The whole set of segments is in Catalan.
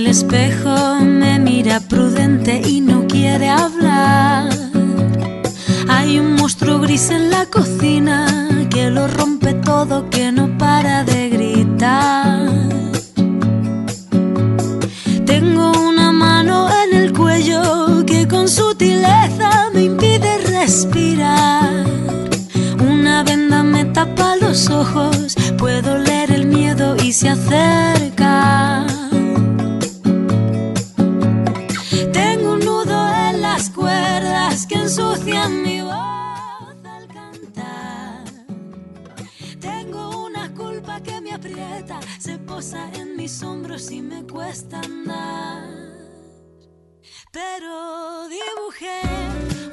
espejo me mira prudente y no quiere hablar. Hay un monstruo gris en la cocina que lo rompe todo, que no para de gritar. Tengo una mano en el cuello que con sutileza me impide respirar. Una venda me tapa los ojos, puedo leer el miedo y se acerca. Tengo un nudo en las cuerdas que ensucian mi voz al cantar. Tengo una culpa que me aprieta, se posa en mis hombros y me cuesta andar. Pero dibujé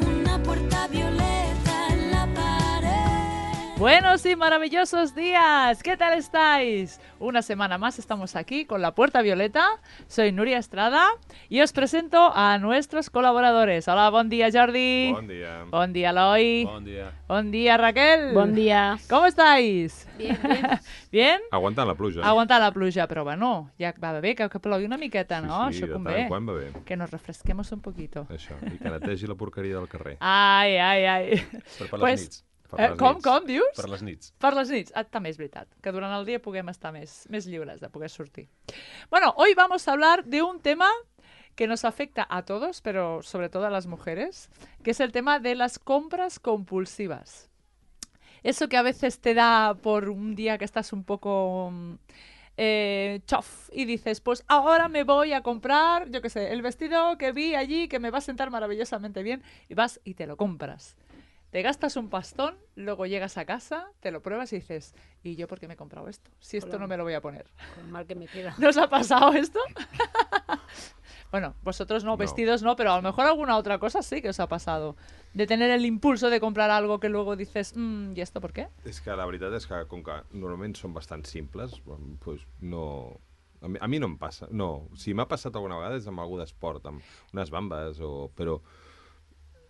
una puerta violeta en la pared. Buenos y maravillosos días, ¿qué tal estáis? Una semana más estamos aquí con La Puerta Violeta. Soy Núria Estrada y os presento a nuestros colaboradores. Hola, bon dia, Jordi. Bon dia. Bon dia, Eloi. Bon dia. Bon dia, Raquel. Bon dia. ¿Cómo estáis? Bien, bien. ¿Bien? Aguantant la pluja. Aguantar la pluja, però bueno, ja va bé que plogui una miqueta, no? Sí, Això de convé. tant en quant va bé. Que nos refresquemos un poquito. Això, i que netegi la porqueria del carrer. Ai, ai, ai. Però per Pues, les nits. Per les com, nits. com, dius? Per les nits. Per les nits. Ah, també és veritat, que durant el dia puguem estar més lliures de poder sortir. Bueno, hoy vamos a hablar de un tema que nos afecta a todos, pero sobre todo a las mujeres, que es el tema de las compras compulsivas. Eso que a veces te da por un día que estás un poco chof y dices, pues ahora me voy a comprar, yo qué sé, el vestido que vi allí que me va a sentar maravillosamente bien, y vas y te lo compras. Te gastas un pastón, luego llegas a casa, te lo pruebas y dices, ¿y yo por qué me he comprado esto? Si esto Hola. no me lo voy a poner. Con mal que me queda. ¿No os ha pasado esto? Bueno, vosotros no, No. vestidos no, pero a lo mejor alguna otra cosa sí que os ha pasado. De tener el impulso de comprar algo que luego dices, ¿y esto por qué? És que la veritat és que, com que normalment són bastant simples, doncs no... A mi no em passa. No, si m'ha passat alguna vegada és amb algú d'esport, amb unes bambes, però...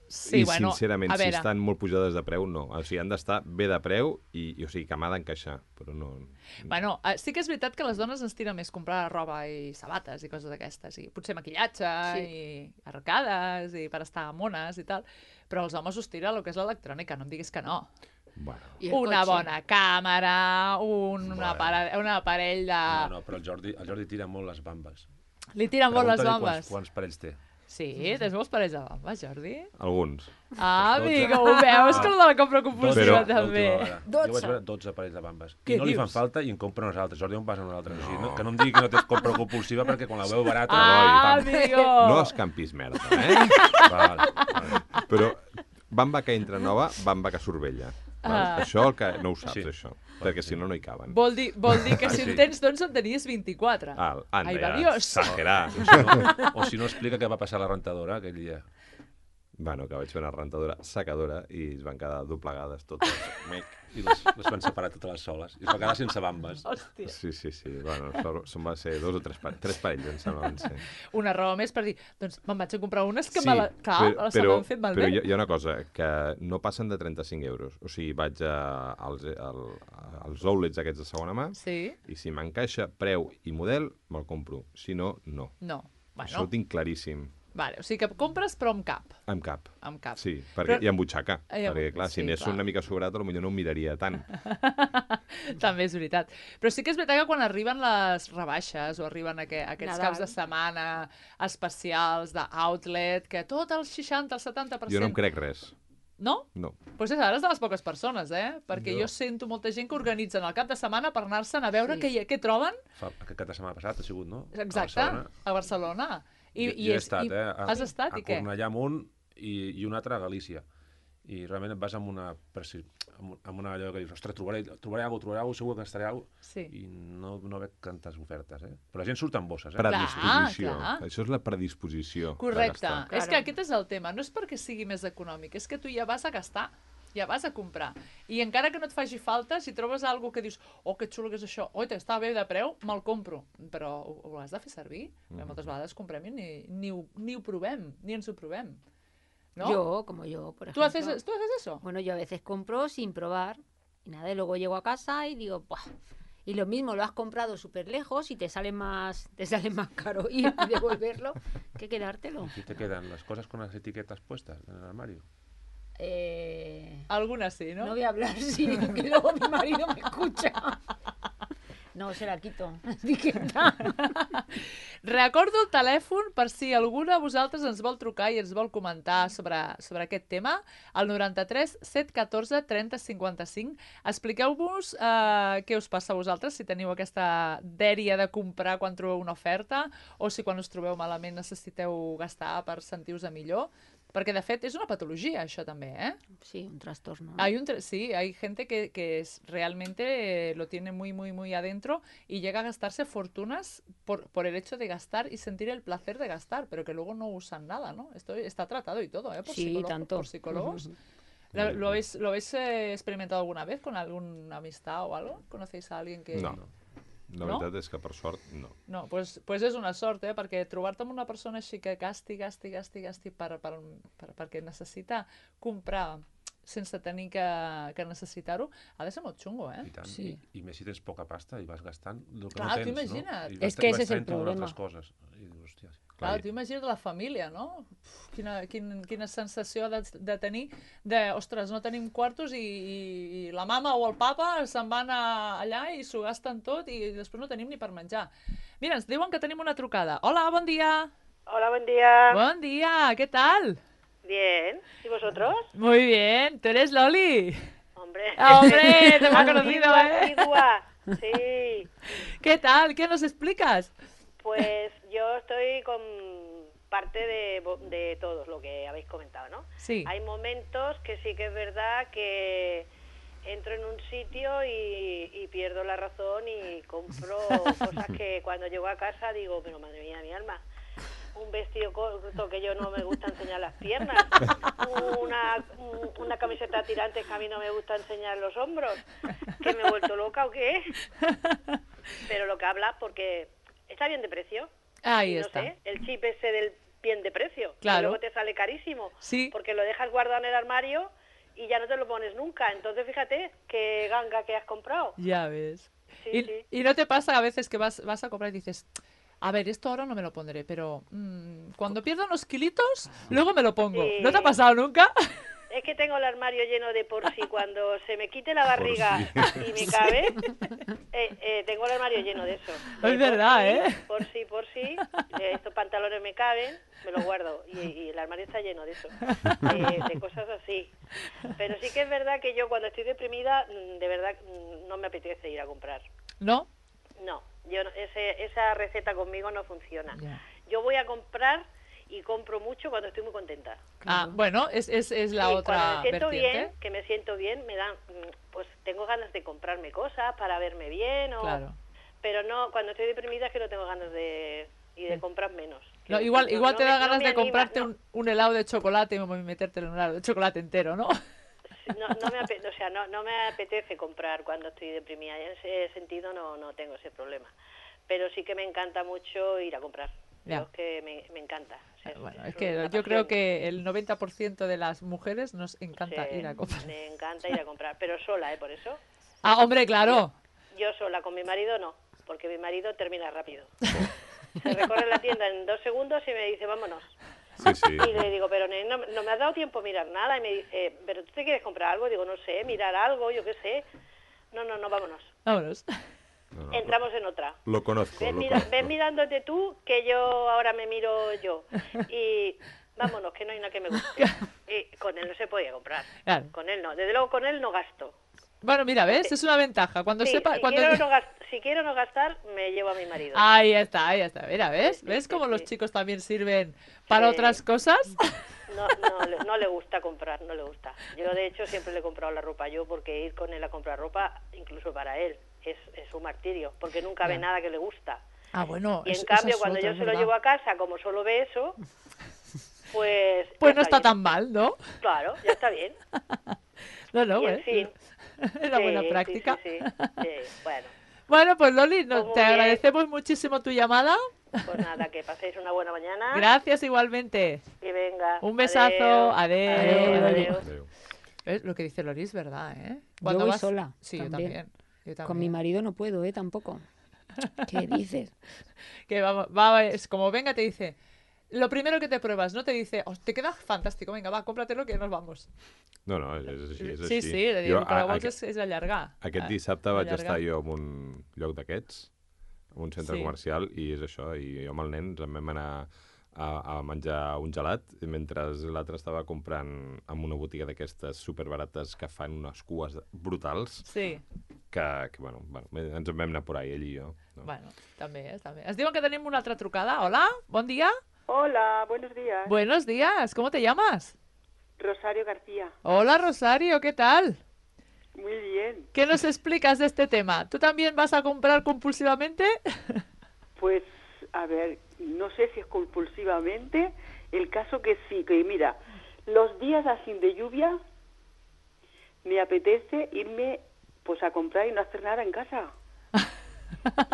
Sí, I bueno, sincerament, a si veure, estan molt pujades de preu, no. O sigui, han d'estar bé de preu i o sigui, que m'ha d'encaixar, però no... bueno, sí que és veritat que les dones ens tira més comprar roba i sabates i coses d'aquestes, i potser maquillatge i arcades i per estar mones i tal, però els homes us tira el que és l'electrònica, no em diguis que no. Bueno, I el Una cotxe. bona càmera, un aparell de... No, però el Jordi tira molt les bambes. Li tiren molt les Pregunta-li bambes. Quants parells té? Sí, tens molts parells de bambes, Jordi? alguns. Ah, 12. amigo, ho veus que el de la compra compulsiva Però- també. Jo vaig veure 12 parells de bambes. Què I no li fan dius? falta i en compra unes altres. Jordi, on vas a unes altres? O sigui, que no em digui que no tens compra compulsiva perquè quan la veu barata... Ah, pam. amigo! No escampis merda, eh? Vale. Però bamba que entra nova, bamba que surt vella. Ah. Això el que no ho saps, Sí. això. Perquè si no, no hi caben. Vol dir que si sí. en tens 12 en tenies 24. Anda, Ai, va, ja, Dios. exagerar. O si no, explica què va passar a la rentadora aquell dia. Bueno, que vaig fer una rentadora secadora i es van quedar doblegades totes. Mec. I les van separar totes les soles. I es va quedar sense bambes. Hòstia. Sí. Bueno, són va ser 2 o 3 tres parells, em sembla, van ser. Una raó més per dir, doncs me'n vaig a comprar unes que Sí, clar, se m'han fet malbé. però hi ha una cosa, que no passen de 35 euros. O sigui, vaig als outlets aquests de segona mà Sí? i si m'encaixa preu i model, me'l compro. Si no, no. No. Això ho Bueno, tinc claríssim. vale, o sigui que compres però amb cap. Amb cap. Amb cap. Sí, perquè Però- i amb butxaca. I amb- Perquè, clar, si sí, n'és clar. una mica sobrat, potser no em miraria tant. També és veritat. Però sí que és veritat que quan arriben les rebaixes o arriben aquests Nadal. caps de setmana especials d'outlet, que tot el 60, el 70%... Jo no em crec res. No? No. Doncs pues ara és de les poques persones, Perquè jo sento molta gent que organitzen el cap de setmana per anar-se'n a veure Sí. què troben. Aquest cap de setmana passat ha sigut, no? Exacte, a Barcelona. Jo he estat, Has estat, a i què? Cornellà amunt i un altre a Galícia. I realment et vas amb una allò que dius, ostres, trobaré alguna cosa, segur que estaré alguna cosa. Sí. I no veig tantes ofertes, Però la gent surt amb bosses, Predisposició. clar. Això és la predisposició. Correcte. de gastar. És Claro. que aquest és el tema. No és perquè sigui més econòmic, és que tu ja vas a gastar, ja vas a comprar. I encara que no et faci falta, si trobes alguna que dius, oh, que xulo que és això, oi, està bé de preu, me'l compro. Però ho has de fer servir. Perquè moltes vegades comprem i ni ho provem, ni ens ho provem. ¿No? Yo, como yo, por ¿Tú ejemplo. haces eso? Bueno, yo a veces compro sin probar y nada, y luego llego a casa y digo, ¡buah! Y lo mismo, lo has comprado súper lejos y te sale más caro ir y devolverlo que quedártelo. ¿Y te quedan las cosas con las etiquetas puestas en el armario? Algunes sí, No no? voy a hablar, sí, que luego mi marido me escucha. No, se la quito, l'etiqueta. Recordo el telèfon per si algú de vosaltres ens vol trucar i ens vol comentar sobre aquest tema, al 93 714 30 55. Expliqueu-vos què us passa a vosaltres, si teniu aquesta dèria de comprar quan trobeu una oferta o si quan us trobeu malament necessiteu gastar per sentir-vos millor. Perquè, de fet, és una patologia, això també, ¿eh? Sí, un trastorno. Sí, hay gente que realmente lo tiene muy, muy, muy adentro y llega a gastarse fortunas por el hecho de gastar y sentir el placer de gastar, pero que luego no usan nada, ¿no? Esto está tratado y todo, ¿eh? Sí, tanto. Por psicólogos. ¿Lo habéis experimentado alguna vez con alguna amistad o algo? ¿Conocéis a alguien que...? No. La No? veritat és que, per sort, no. No, pues és una sort, perquè trobar-te amb una persona així que gasti perquè necessita comprar sense tenir que necessitar-ho, ha de ser molt xungo, I tant. Sí. I més si tens poca pasta i vas gastant el que Clar, no tens, t'imagina't. no? I És vas- que vas ese és el traient totes problema. altres coses. I dius, hòstia, Clar, tu imagina't la família, no? Quina sensació de tenir ostres, no tenim quartos i la mama o el papa se'n van allà i s'ho gasten tot i després no tenim ni per menjar. Mira, ens diuen que tenim una trucada. Hola, bon dia. Hola, buen día. Bon dia, què tal? Bien. ¿Y vosotros? Muy bien, ¿tú eres Loli? Hombre. ¡Hombre, te me ha conocido, Antigua, eh! antigua. Sí. ¿Qué tal? ¿Qué nos explicas? Pues yo estoy con parte de todo lo que habéis comentado, ¿no? Sí. Hay momentos que sí que es verdad que entro en un sitio y pierdo la razón y compro cosas que cuando llego a casa digo, pero madre mía, mi alma, un vestido corto que yo no me gusta enseñar las piernas, una camiseta tirante que a mí no me gusta enseñar los hombros, que me he vuelto loca o qué. Pero lo que habla, porque está bien de precio. Ahí y no está. sé, el chip ese del bien de precio, Claro. que luego te sale carísimo, Sí. porque lo dejas guardado en el armario y ya no te lo pones nunca. Entonces fíjate qué ganga que has comprado. Ya ves. Sí, sí. ¿Y no te pasa a veces que vas a comprar y dices, a ver, esto ahora no me lo pondré, pero cuando pierda unos kilitos, luego me lo pongo? Sí. ¿No te ha pasado nunca? Es que tengo el armario lleno de por si cuando se me quite la barriga y me cabe, tengo el armario lleno de eso. Es verdad, Por si, estos pantalones me caben, me los guardo y el armario está lleno de eso, de cosas así. Pero sí que es verdad que yo cuando estoy deprimida, de verdad no me apetece ir a comprar. ¿No? No, esa receta conmigo no funciona. Ya. Yo voy a comprar y compro mucho cuando estoy muy contenta. Ah, bueno, es la Sí, otra cuando me siento vertiente. bien, que me siento bien, me dan, pues tengo ganas de comprarme cosas para verme bien, Claro. pero no, cuando estoy deprimida es que no tengo ganas de comprar menos. No, Que igual te da no ganas me de anima, comprarte no. un helado de chocolate y metértelo en un helado de chocolate entero, ¿no? No me apetece comprar cuando estoy deprimida, en ese sentido no tengo ese problema. Pero sí que me encanta mucho ir a comprar. Ya. Es que me encanta. O sea, Bueno, es es que una yo creo pasión. que el 90% de las mujeres nos encanta Sí, ir a comprar. me encanta ir a comprar, pero sola, por eso. Ah, hombre, claro. Yo sola, con mi marido no, porque mi marido termina rápido. Se recorre la tienda en 2 segundos y me dice, vámonos. Sí, sí. Y le digo, pero no me has dado tiempo a mirar nada. Y me dice, ¿pero tú te quieres comprar algo? Digo, no sé, mirar algo, yo qué sé. No, vámonos. Vámonos. No, Entramos en otra. Lo conozco, Ves, lo conozco. ves mirándote tú, que yo ahora me miro yo. Y vámonos, que no hay nada que me guste. Y con él no se podía comprar. Claro. Con él no. Desde luego, con él no gasto. Bueno, mira, ¿ves? Es una ventaja. Cuando Sí, sepa... si, cuando... quiero no gastar, me llevo a mi marido. Ahí está, ahí está. Mira, ¿ves? Sí, ¿Ves sí, cómo sí. los chicos también sirven para Sí. otras cosas? No le gusta comprar, no le gusta. Yo, de hecho, siempre le he comprado la ropa yo, porque ir con él a comprar ropa, incluso para él, es un martirio, porque nunca ve Ya. nada que le gusta. Ah, bueno, Y en esa cambio, es cuando otra, yo es se lo verdad. llevo a casa, como solo ve eso, pues... Pues ya no está bien. tan mal, ¿no? Claro, ya está bien. No, no, Y en ¿ves? fin. Es una buena Sí, práctica. Sí, bueno, Bueno, pues Loli, Pues muy te bien. agradecemos muchísimo tu llamada. pues nada, que paséis una buena mañana. Gracias igualmente. Y venga. Un besazo. Adeu. Adeu. Adéu. ¿Ves? Lo que dice Loli es verdad, ¿eh? Yo voy vas... sola, Sí, yo también. también. Yo Con también. mi marido no puedo, tampoco. ¿Qué dices? Que es como venga, te dice, lo primero que te pruebas, no te dice, "Oh, te queda fantástico, venga, va, cómpratelo que nos vamos". No, és així, és Sí, així. sí, el que vols és allargar. Aquest dissabte vaig allargar. estar jo en un lloc d'aquests, en un centre Sí. comercial, i és això, i jo amb el nen ens en vam anar a menjar un gelat, mentre l'altre estava comprant en una botiga d'aquestes superbarates que fan unes cues brutals, Sí, que bueno, ens en vam anar por ahí, ell i jo. No? bueno, també. Ens diuen que tenim una altra trucada. Hola, bon dia. Hola, buenos días. Buenos días, ¿cómo te llamas? Rosario García. Hola, Rosario, ¿qué tal? Muy bien. ¿Qué nos explicas de este tema? ¿Tú también vas a comprar compulsivamente? Pues, a ver, no sé si es compulsivamente. El caso que sí, que mira, los días así de lluvia me apetece irme pues a comprar y no hacer nada en casa.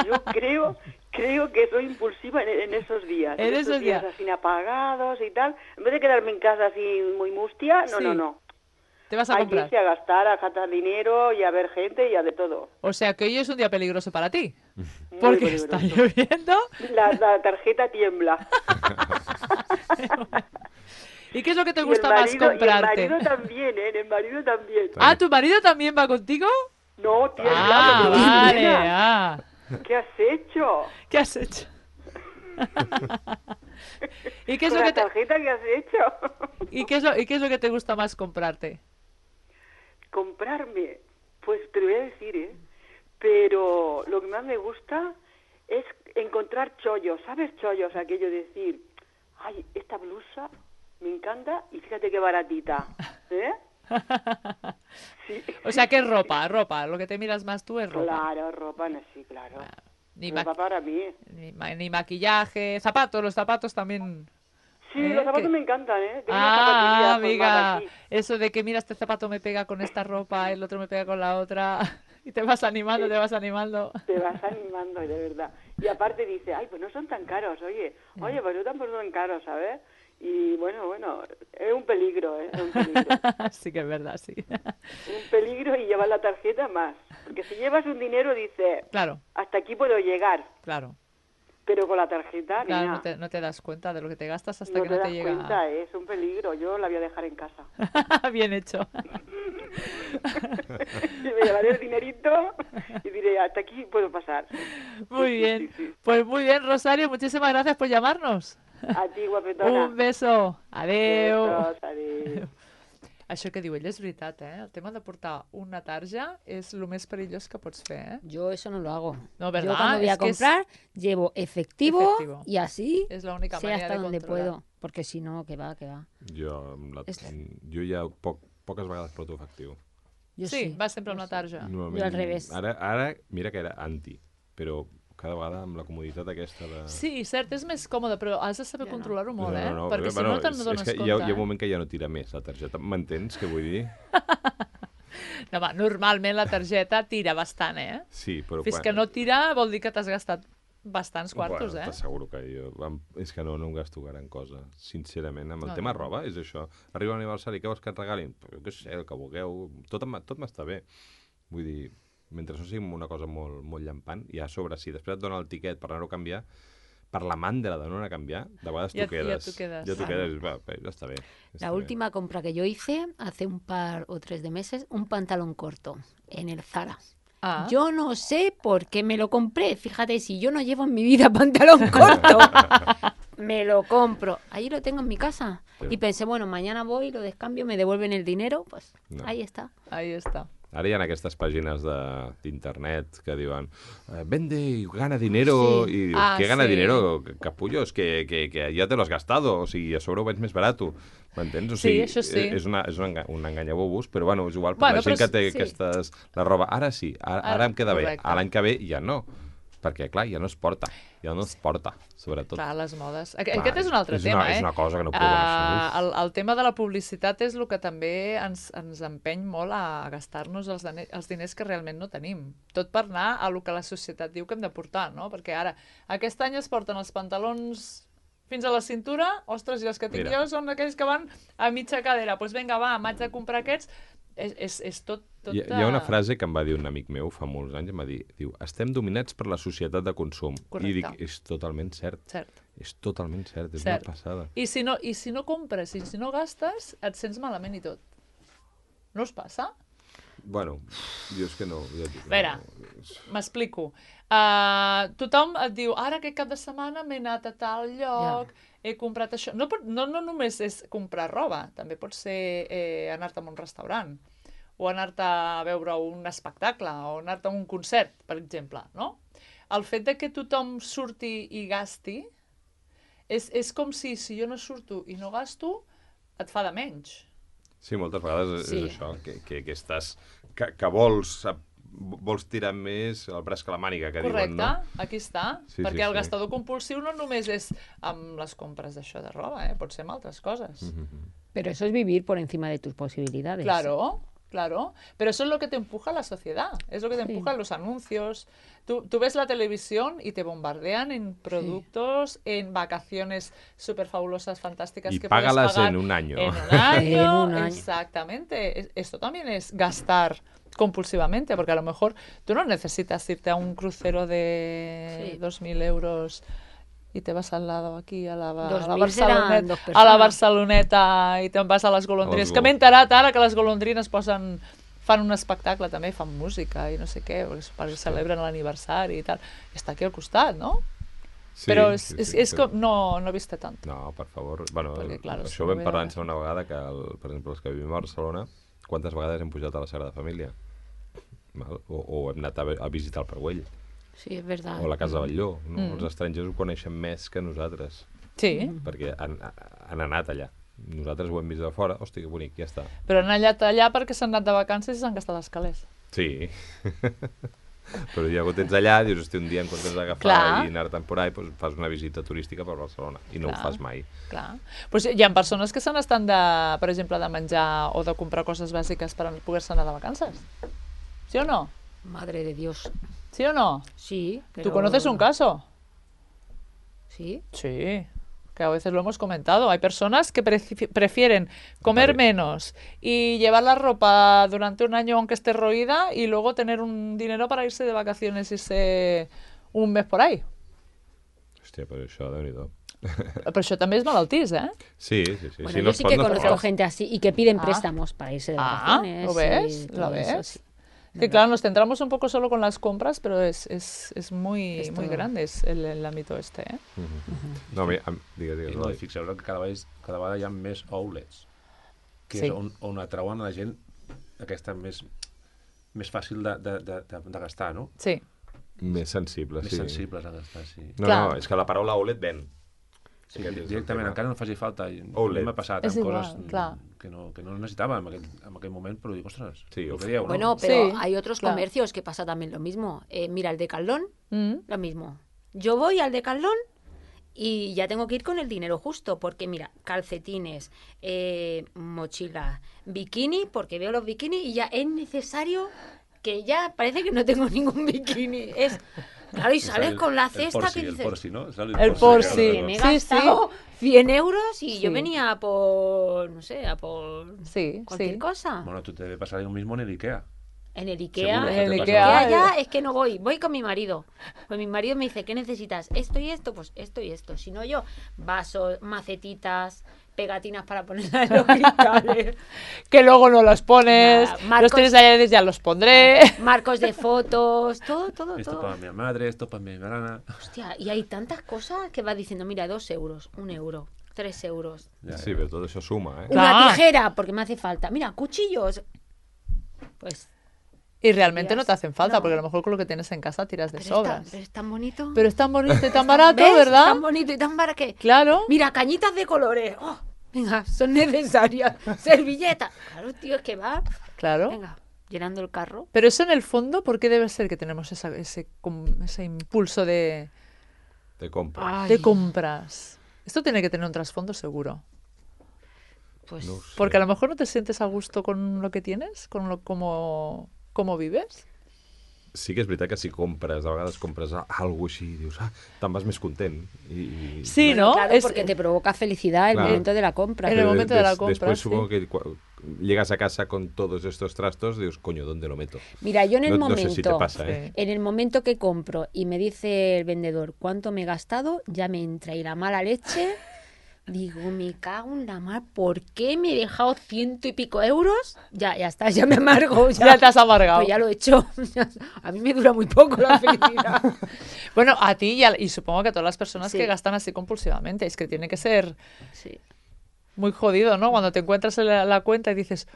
Yo creo que soy impulsiva en esos días. En esos esos días. así apagados y tal. En vez de quedarme en casa así muy mustia, Sí. no. Te vas a Hay que comprar. irse a gastar, a gastar dinero y a ver gente y a de todo. O sea que hoy es un día peligroso para ti. Muy Porque peligroso. está lloviendo. La tarjeta tiembla. ¿Y qué es lo que te Y el gusta más marido- comprarte? Y el marido también, ¿eh? El marido también. Ah, ¿tu marido también va contigo? No, tiembla. Ah, porque vale. nena, Ah. ¿qué has hecho? ¿Qué has hecho? ¿Y qué es Con lo la que te, tarjeta que has hecho. y qué es lo que te gusta más comprarte? Comprarme, pues te lo voy a decir, ¿eh? Pero lo que más me gusta es encontrar chollos, ¿sabes? Chollos, aquello de decir, ay, esta blusa me encanta y fíjate qué baratita, ¿eh? Sí. O sea que es ropa, lo que te miras más tú es ropa. Claro, ropa, no, sí, claro. Ni, Ropa para mí. ni maquillaje, zapatos, los zapatos también. Sí, los zapatos ¿Qué? me encantan, ¿eh? Tengo unas Ah, zapatillas amiga, formadas aquí. eso de que mira, este zapato me pega con esta ropa, el otro me pega con la otra, y te vas animando, te vas animando. Te vas animando, de verdad. Y aparte dice, ay, pues no son tan caros, oye, pues no tampoco son caros, ¿sabes? Y bueno, es un peligro, ¿eh? Es un peligro. Sí que es verdad, sí. Un peligro y llevar la tarjeta más. Porque si llevas un dinero, dice, Claro, hasta aquí puedo llegar. claro. Pero con la tarjeta, Claro, nena, no te das cuenta de lo que te gastas hasta no que te no das te llega. cuenta, ¿eh? Es un peligro. Yo la voy a dejar en casa. Bien hecho. Y me llevaré el dinerito y diré, hasta aquí puedo pasar. Muy bien. Sí, sí. Pues muy bien, Rosario, muchísimas gracias por llamarnos. A ti, guapetona. Un beso. Adeu. Besos, adéu. Això que diu ell és veritat, eh? El tema de portar una tarja és el més perillós que pots fer, eh? Yo eso no lo hago. No, ¿verdad? Yo cuando voy a Es que es- comprar, llevo efectivo, Efectivo. y así És l'única sé manera hasta de donde controlar. puedo. Porque si no, que va. Jo, És- jo ja poques vegades porto efectiu. Yo Sí, sí. vas sempre amb la tarja. Normalment, Jo al revés. Ara, mira que era anti, però cada vegada amb la comoditat aquesta de... Sí, cert, és més còmode, però has de saber controlar-ho molt, eh? Perquè si no te'n dones és que compte. hi ha un moment que ja no tira més la targeta. M'entens què vull dir? No, home, normalment la targeta tira bastant, eh? Sí, però... Fins que no tira vol dir que t'has gastat bastants quartos, bueno, eh? T'asseguro que jo... És que no em gasto gran cosa, sincerament. Amb el No, tema no. roba, és això. Arriba l'aniversari, què vols que et regalin? Però jo què sé, el que vulgueu. Tot m'està bé. Vull dir, mentre no sigui una cosa molt, molt llampant, i a sobre, si després et dona el tiquet per anar-ho a canviar, per la mandra de no anar a canviar, de vegades Ja t'ho quedes. t'ho quedes. Ja t'ho quedes, va, ja està bé. Ja està La bé. última compra que yo hice hace un par o 3 de meses, un pantalón corto en el Zara. Ah, Yo no sé por qué me lo compré. Fíjate, si yo no llevo en mi vida pantalón corto, me lo compro. Ahí lo tengo en mi casa. Sí. Y pensé, bueno, mañana voy, lo descambio, me devuelven el dinero. Pues No. ahí está. ahí està. Ara hi ha aquestes pàgines d'internet que diuen vende y gana dinero, Sí. i dius, Ah, què gana sí. dinero, capullos, que ja te lo has gastado, o sigui, a sobre ho vens més barat. M'entens? O Sí, sigui, això sí. És un enganyabobús, però bueno, és igual, Bueno, la gent però que té sí. aquestes... La roba, ara sí, ara em queda bé, correcte. a l'any que ve ja no, perquè, clar, ja no es porta, sobretot. Clar, les modes. Clar, Aquest és un altre tema, eh? És una cosa que no podem... El tema de la publicitat és el que també ens empeny molt a gastar-nos els diners que realment no tenim. Tot per anar a lo que la societat diu que hem de portar, no? Perquè ara, aquest any es porten els pantalons fins a la cintura, ostres, i els que tinc Mira. jo són aquells que van a mitja cadera. Doncs pues vinga, va, m'haig de comprar aquests. és tot... Hi ha una frase que em va dir un amic meu fa molts anys, em va dir, diu, estem dominats per la societat de consum. Correcte. I dic, és totalment cert. Cert. És totalment cert, és Cert. una passada. I si no compres, i si no gastes, et sents malament i tot. No us passa? Bueno, jo és que no. Ja dic, A veure, no. m'explico. Tothom et diu, ara aquest cap de setmana m'he anat a tal lloc, he comprat això. No només és comprar roba, també pot ser anar-te a un restaurant, o anar-te a veure un espectacle, o anar-te a un concert, per exemple, no? El fet de que tothom surti i gasti és com si jo no surto i no gasto, et fa de menys. Sí, moltes vegades Sí. és això, que estàs... Que vols tirar més el braç que la màniga, que Correcte, diuen, no? aquí està. Sí, Perquè sí, el sí. gastador compulsiu no només és amb les compres d'això de roba, pot ser amb altres coses. Pero eso es vivir por encima de tus posibilidades. Claro. Pero eso es lo que te empuja la sociedad, es lo que te Sí. empujan los anuncios. Tú ves la televisión y te bombardean en productos, en vacaciones súper fabulosas, fantásticas Y que puedes págalas pagar en un año. En un año, En un año. exactamente. Esto también es gastar compulsivamente, porque a lo mejor tú no necesitas irte a un crucero de Sí. 2.000 euros y te vas al lado aquí a la 2.000 seran dos a la persones. Barceloneta i te'n vas a les golondrines. Que m'he enterat ara que les golondrines fan un espectacle també, fan música i no sé què, perquè celebren l'aniversari i tal. I està aquí al costat, no? Sí, Però sí, és com... No he vist tant. No, per favor. Bueno, Perquè, clar, això ho vam parlar una vegada, que, per exemple, els que vivim a Barcelona, quantes vegades hem pujat a la Sagrada Família? Val? O hem anat a visitar el Parguell, Sí, es verdad. o la Casa Batlló. No? Els estrangers ho coneixen més que nosaltres, Sí, perquè han anat allà. Nosaltres ho hem vist de fora, hòstia, que bonic, ja està. però han anat allà perquè s'han anat de vacances i s'han gastat els calés. Sí. Però ja ho tens allà, dius, hosti, un dia en comptes d'agafar Clar. i anar temporal, doncs fas una visita turística per Barcelona, i no Clar. ho fas mai. Clar. Pues hi ha persones que se n'estan, per exemple, de menjar o de comprar coses bàsiques per poder-se anar de vacances. ¿Sí o no? Madre de Dios. ¿Sí o no? Sí, pero... ¿Tú conoces un caso? Sí. Sí, que a veces lo hemos comentado. Hay personas que prefieren comer Vale. menos y llevar la ropa durante un año aunque esté roída y luego tener un dinero para irse de vacaciones, irse un mes por ahí. Hòstia, però això, Déu-n'hi-do. Però això també és malaltís, ¿eh? Sí. Bueno, Si yo no es sí pot, que no es conozco pot. gente así y que piden Ah. préstamos para irse de vacaciones. ¿lo ves? y ¿Lo todo eso, ves? sí. Que claro, nos centramos un poco solo con las compras, pero es muy, Es muy todo. grande el ámbito este, ¿eh? No, digues, I no, i fixeu-vos que cada vegada hi ha més outlets, que Sí. és on atrauen a la gent aquesta més fàcil de gastar, no? Sí, Més sensible, Més sí. sensibles a gastar, sí. No, Clar. no, és que la paraula outlet ven. Sí, Aquest és el directament, tema. encara no faci falta. I Outlet. m'ha passat És amb igual, coses clar. que no necessitava en aquell moment, però dic, ostres, Sí, el uf. que dieu, Bueno, no? pero Sí, hay otros claro. comercios que pasa también lo mismo. Mira, el Decathlon, Mm. lo mismo. Yo voy al Decathlon y ya tengo que ir con el dinero justo, porque mira, calcetines, mochila, bikini, porque veo los bikinis y ya es necesario que ya parece que no tengo ningún bikini. Claro, y sales con la cesta que El dices, Porsi, ¿no? Sale El Porsi. que me he Sí, sí. gastado 100 euros y Sí. yo venía por, no sé, a por Sí, cualquier sí. cosa. Bueno, tú te debe pasar lo mismo en el Ikea. En el Seguro Ikea, que En el te pasa. Ikea, ya es que no voy con mi marido. Pues mi marido me dice, ¿qué necesitas? Esto y esto, pues esto y esto. Si no yo, vasos, macetitas, pegatinas para ponerlas en los cristales, Que luego no los pones, Nada, marcos- los tienes allá y dices, ya los pondré. marcos de fotos, todo. Esto para mi madre, esto para mi hermana. Hostia, y hay tantas cosas que vas diciendo, mira, 2 euros, 1 euro, 3 euros. Ja, Sí, però tot això suma, eh? Claro. Una tijera, porque me hace falta. Mira, cuchillos. Pues, Y realmente no te hacen falta, No. porque a lo mejor con lo que tienes en casa tiras de sobras. pero es tan bonito. Pero es tan bonito y tan barato, ¿Ves? ¿verdad? Tan bonito y tan barato que... Claro. Mira, cañitas de colores. Oh, venga, son necesarias. Servilletas. Claro, tío, es que va. Claro. Venga, llenando el carro. Pero eso en el fondo, ¿por qué debe ser que tenemos ese impulso de compra. compras? Esto tiene que tener un trasfondo seguro. Pues No ho sé. Porque a lo mejor no te sientes a gusto con lo que tienes, con lo como vives. Sí que és veritat que si compres, a vegades compres alguna així, dius, te'n vas més content. Sí, bueno, ¿no? claro, Es- porque te provoca felicidad el Claro. momento de la compra. En el Però momento de la compra, Després sí. supongo que llegas a casa con todos estos trastos, dices, coño, ¿dónde lo meto? Mira, yo en el No momento, sé si te pasa, ¿eh? en el momento que compro y me dice el vendedor cuánto me he gastado, ya me entra ahí la mala leche. Digo, me cago en la mar, ¿por qué me he dejado 100 y pico euros? Ya está, ya me amargo. Ya te has amargado. Pues ya lo he hecho. A mí me dura muy poco la felicidad. Bueno, a ti y supongo que a todas las personas Sí. que gastan así compulsivamente. Es que tiene que ser Sí. muy jodido, ¿no? Cuando te encuentras en la cuenta y dices,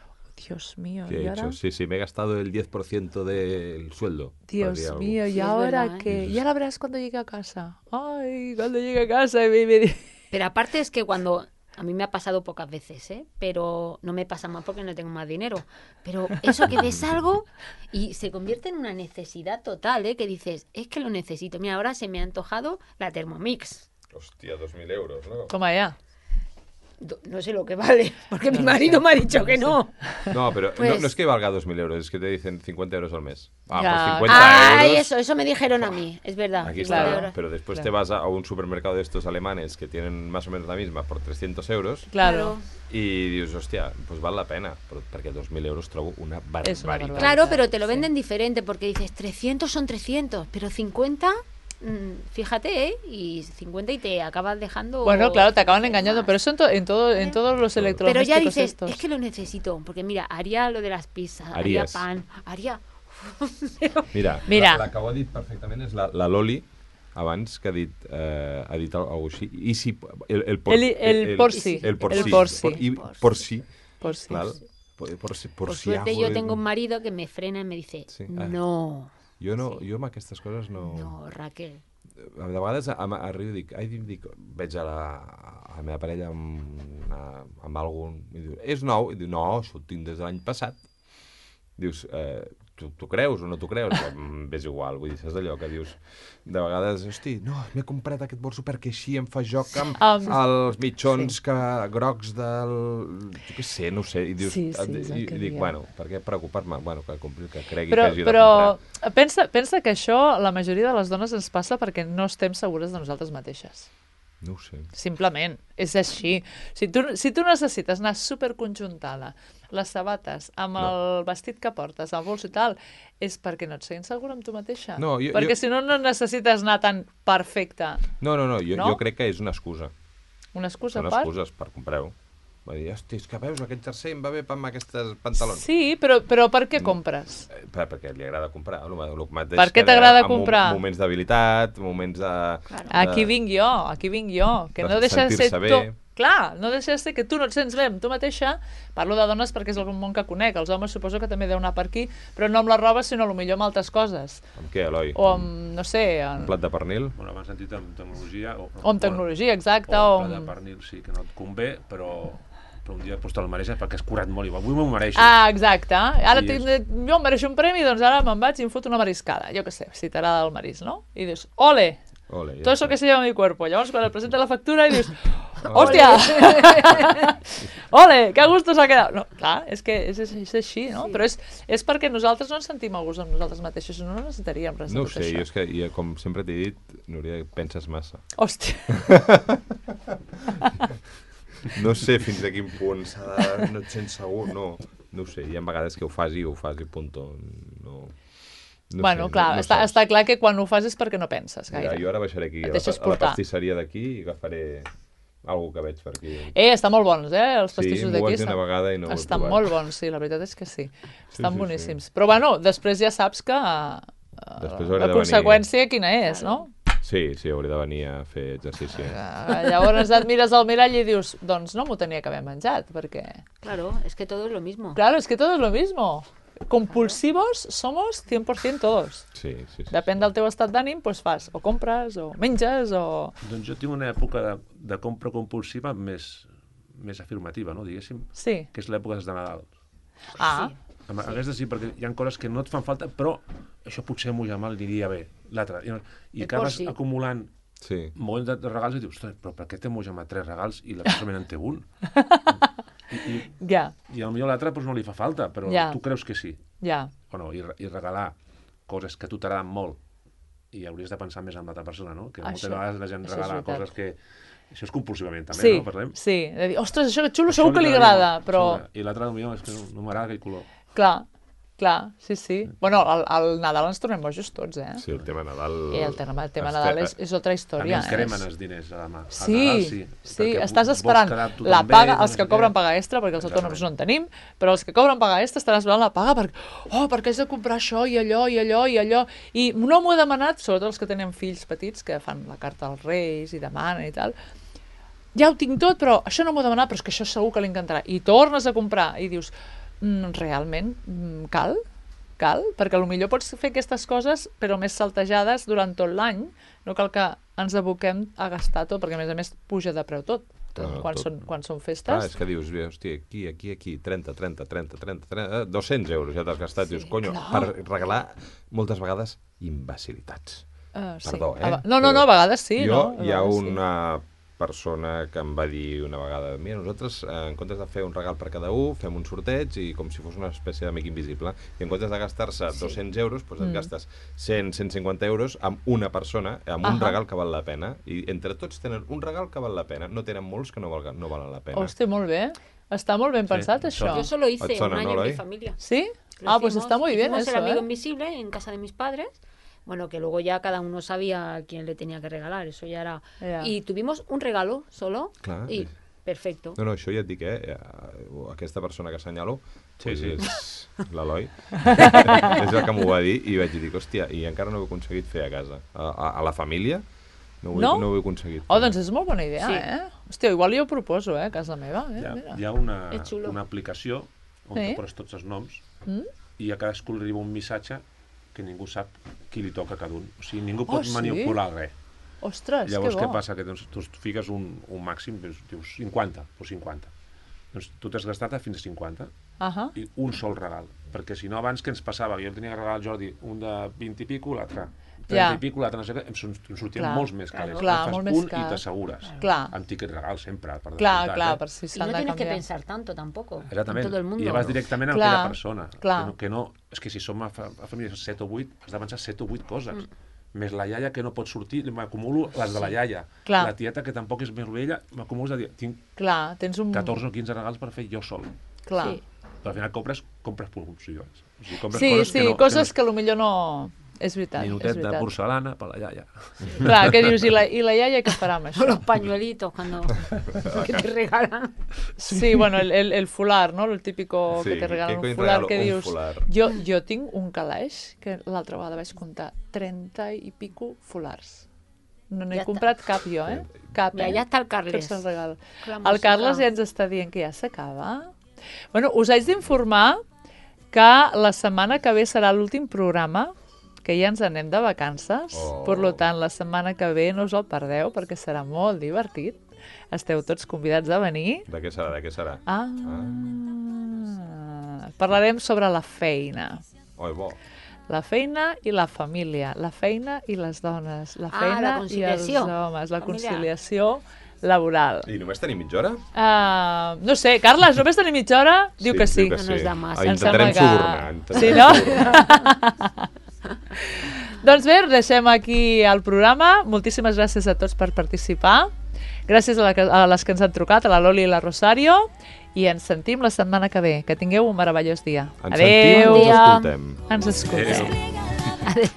Dios mío, ¿Qué ¿y he ahora? hecho? Sí, me he gastado el 10% del sueldo. Dios Hacía algo. mío, ¿y Sí, es ahora verdad, ¿eh? qué? Ya la verás cuando llegue a casa. Ay, cuando llegue a casa y me... Pero aparte es que cuando... A mí me ha pasado pocas veces, ¿eh? Pero no me pasa más porque no tengo más dinero. Pero eso que ves algo y se convierte en una necesidad total, ¿eh? Que dices, es que lo necesito. Mira, ahora se me ha antojado la Thermomix. Hostia, 2.000 euros, ¿no? Toma ya. No sé lo que vale, porque No mi lo marido sé, me ha dicho no que lo no. No, pero Pues- no es que valga 2.000 euros, es que te dicen 50 euros al mes. Ya. Pues 50 Ay, euros. eso me dijeron a mí, es verdad. Aquí 50 está, euros. pero después Claro. te vas a un supermercado de estos alemanes que tienen más o menos la misma por 300 euros Claro. y dius, hòstia, pues val la pena, perquè 2.000 euros trobo una barbaritat. És una barbaritat. Claro, pero te lo Sí. venden diferente porque dices 300 son 300, pero 50, fíjate, ¿eh? Y 50 y te acabas dejando... Bueno, claro, te acaban más. engañando, pero eso en todos los Pero electrodomésticos ya dices, estos. es que lo necesito, porque mira, haría lo de las pizzas, Harías. haría pan, haría... Mira, Mira. la que ho ha dit perfectament és la Loli, abans que ha dit alguna cosa així. I si... El por porsi. El porsi. El porsi. I porsi. Por si. Clar. Por Por si suerte hago yo el- tengo un marido que me frena y me dice, Sí. no, Jo amb aquestes coses no, Raquel. De vegades arribo i dic, veig a la meva parella amb algun i diu, és nou? I diu, no, això ho tinc des de l'any passat. Dius, tu creus o no t'ho creus? És igual, vull dir, saps allò que dius de vegades, hosti, no, m'he comprat aquest bolso perquè així em fa joc amb els mitjons grocs del... Jo què sé, no ho sé. I dius, Sí, és el i que dic, diem. bueno, per què preocupar-me? Bueno, que cregui Però, que hagi de però comprar. pensa que això la majoria de les dones ens passa perquè no estem segures de nosaltres mateixes. No ho sé. Simplement, és així. Si tu necessites anar superconjuntada, les sabates, amb el vestit que portes, el bolso i tal, és perquè no et sents segura amb tu mateixa. No, perquè si no, no necessites anar tan perfecta. No, No? jo crec que és una excusa. Una excusa Són per... excuses per comprar-ho. Va dir, hosti, és que veus, aquest jersei em va bé amb aquests pantalons. Sí, però per què compres? Perquè li agrada comprar. El mateix Per què que t'agrada en comprar? Moments d'habilitat, moments de... Aquí vinc jo, que de no deixa de ser sentir-se tu... bé. Clar, no deixa de ser que tu no et sents bé amb tu mateixa. Parlo de dones perquè és el món que conec. Els homes suposo que també deu anar per aquí, però no amb la roba, sinó potser amb altres coses. Amb què, Eloi? O amb, no sé, Un plat de pernil? Bueno, abans sentit amb tecnologia... o amb tecnologia, exacte. O O un plat de amb... pernil sí que no et convé, però un dia pues, te'l mereixes perquè has curat molt i avui m'ho mereixo. Ah, exacte. Ara I jo em mereixo un premi, doncs ara me'n vaig i em foto una mariscada. Jo què sé, si t'agrada el marisc, no? I dius, ole, Ole, todo eso que se lleva mi cuerpo. Llavors, quan et presenta la factura, i dius, hòstia, ole, que a gusto s'ha quedat. No, clar, és que és així, no? Sí. Però és perquè nosaltres no ens sentim a gust amb nosaltres mateixos, no necessitaríem res de No ho tot sé, això. jo és que, com sempre t'he dit, Núria, penses massa. Hòstia. No sé fins a quin punt s'ha de... No et sents segur, no ho sé. Hi ha vegades que ho fas i punto. No Bueno, sé, clar, no està saps. clar que quan ho fas és perquè no penses gaire. Mira, jo ara baixaré aquí Et a deixes la portar. pastisseria d'aquí i agafaré alguna que veig per aquí. Estan molt bons, els Sí, pastissos m'ho d'aquí. vaig dir una vegada i no ho he Estan provat. molt bons, sí, la veritat és que sí. Estan sí, boníssims. Però bueno, després ja saps que Després hauré la de conseqüència quina és, no? Sí, hauré de venir a fer exercici. Llavors et mires al mirall i dius, doncs no m'ho tenia que haver menjat, perquè... Claro, es que todo es lo mismo. Claro, es que todo es lo mismo. Compulsivos somos 100% todos. Sí. Depèn del teu estat d'ànim, doncs fas, o compres, o menges, o... Doncs jo tinc una època de compra compulsiva més afirmativa, no, diguéssim, Sí. que és l'època de Nadal. Ah, Aquesta sí, perquè hi ha coses que no et fan falta, però això potser m'ho ja m'aniria bé. L'altre. I acabes sí. acumulant Sí. molts de regals i dius, ostres, però per què té Mojama 3 regals i la persona en té un? ja, I potser l'altre doncs, no li fa falta, però Ja. tu creus que sí. ja. O no, i regalar coses que a tu t'agraden molt i hauries de pensar més en l'altra persona, no? Que moltes Això- vegades la gent això és regala veritat. coses Això és compulsivament, també, Sí, no? Parlem. sí. De dir, ostres, això que xulo Això segur que li agradaria agrada, molt, però... I l'altre millor és que no m'agrada aquell color. Clar, sí. Bueno, al Nadal ens tornem bojos tots, eh? Sí, el tema Nadal... El tema Nadal és altra A mi història. ens cremen els diners a la mà. Sí, perquè estàs vols esperant quedar tu la també, paga, no els sé que què. cobren paga extra, perquè els autònoms no en tenim, però els que cobren paga extra estan esperant la paga perquè haig de comprar això i allò i allò i allò. I no m'ho he demanat, sobretot els que tenen fills petits, que fan la carta als Reis i demanen i tal. Ja ho tinc tot, però això no m'ho he demanat, però és que això segur que li encantarà. I tornes a comprar i dius, realment cal? Perquè potser pots fer aquestes coses però més saltejades durant tot l'any, no cal que ens aboquem a gastar tot, perquè a més puja de preu tot quan són festes. És que dius, hòstia, aquí 30, 200 euros ja t'has gastat, dius, conyo, per regalar moltes vegades imbecilitats. Perdó, No, a vegades sí. Hi ha una persona que em va dir una vegada, mira, nosaltres en comptes de fer un regal per cada un, fem un sorteig i com si fos una espècie d'amic invisible, i en comptes de gastar-se 200 euros, doncs et gastes 100-150 euros amb una persona, amb un regal que val la pena, i entre tots tenen un regal que val la pena, no tenen molts que no valen la pena. Hòstia, molt bé. Està molt ben pensat, això. Yo solo hice Et sona, un año no, en mi Eloi? familia. ¿Sí? Lo Pues está muy bien hicimos eso, el amigo ¿eh? invisible en casa de mis padres. Bueno, que luego ya cada uno sabía a quién le tenía que regalar, eso ya era... Ja. Y tuvimos un regalo solo Clar. y perfecto. No, això ja et dic, aquesta persona que assenyalo Sí. és l'Eloi. És el que m'ho va dir i vaig dir, hòstia, i encara no ho he aconseguit fer a casa. A la família no ho he aconseguit fer. Doncs és molt bona idea, Sí. Hòstia, igual jo ho proposo, a casa meva. Hi ha una És xulo. aplicació on Sí. tu poses tots els noms i a cadascú li arriba un missatge que ningú sap qui li toca a cada un. O sigui, ningú pot sí? manipular res. Ostres, Llavors, que bo. què passa? Que tu fiques un màxim, dius 50, doncs 50. Doncs tu t'has gastat fins a 50 i un sol regal. Perquè si no, abans què ens passava? Jo tenia que regalar al Jordi un de 20 i pico, l'altre 30 i pico, l'altre no sé què, em sortien Clar. molts més calés. Clar, Fas molt més un car. i t'assegures. Clar. Amb tiquet regal sempre, per Clar, descomptat, per si Y s'han no de tienes que canviar. pensar tanto tampoco. Exactament. En todo el mundo. I vas directament a Clar, aquella persona. clar. Que no, és que si som a famílies 7 o 8, has de pensar 7 o 8 coses. Més la iaia que no pot sortir, m'acumulo les de la iaia. Clar. La tieta que tampoc és més vella, m'acumulo de dir, tinc Clar, tens un... 14 o 15 regals per fer jo sol. Clar. Sí. Però al final compres pulsions. O sigui, compres Sí, coses que no, coses que potser no... És veritat, és Minutet de veritat. porcelana per la iaia. Clar, què dius? I la iaia què farà amb O això? los pañuelitos cuando que te regalan. Sí, bueno, el fular, no? El típico Sí, que te regalan què cony un fular, regalo que un dius... fular? Jo tinc un calaix que l'altra vegada vaig comptar 30 i pico fulars. No n'he Ja està. comprat cap jo, Cap, Mira, ja està el Carles. Tots els regals. Con la El música. Carles ja ens està dient que ja s'acaba. Bueno, us haig d'informar que la setmana que ve serà l'últim programa, que ja ens anem de vacances. Per tant, la setmana que ve no us el perdeu, perquè serà molt divertit. Esteu tots convidats a venir. De què serà? Parlarem sobre la feina. Oi, bo. La feina i la família, la feina i les dones, la feina la i els conciliació homes, la familiar. conciliació laboral. I només tenim mitja hora? No sé, Carles, només tenim mitja hora? Diu que sí. No nos da más. Em Intentarem sembla que- subornar. Sí, no? Doncs bé, deixem aquí el programa. Moltíssimes gràcies a tots per participar. Gràcies a les que ens han trucat, a la Loli i la Rosario. I ens sentim la setmana que ve. Que tingueu un meravellós dia. Ens sentim o ens escoltem? Ens escoltem. Adéu. Adeu.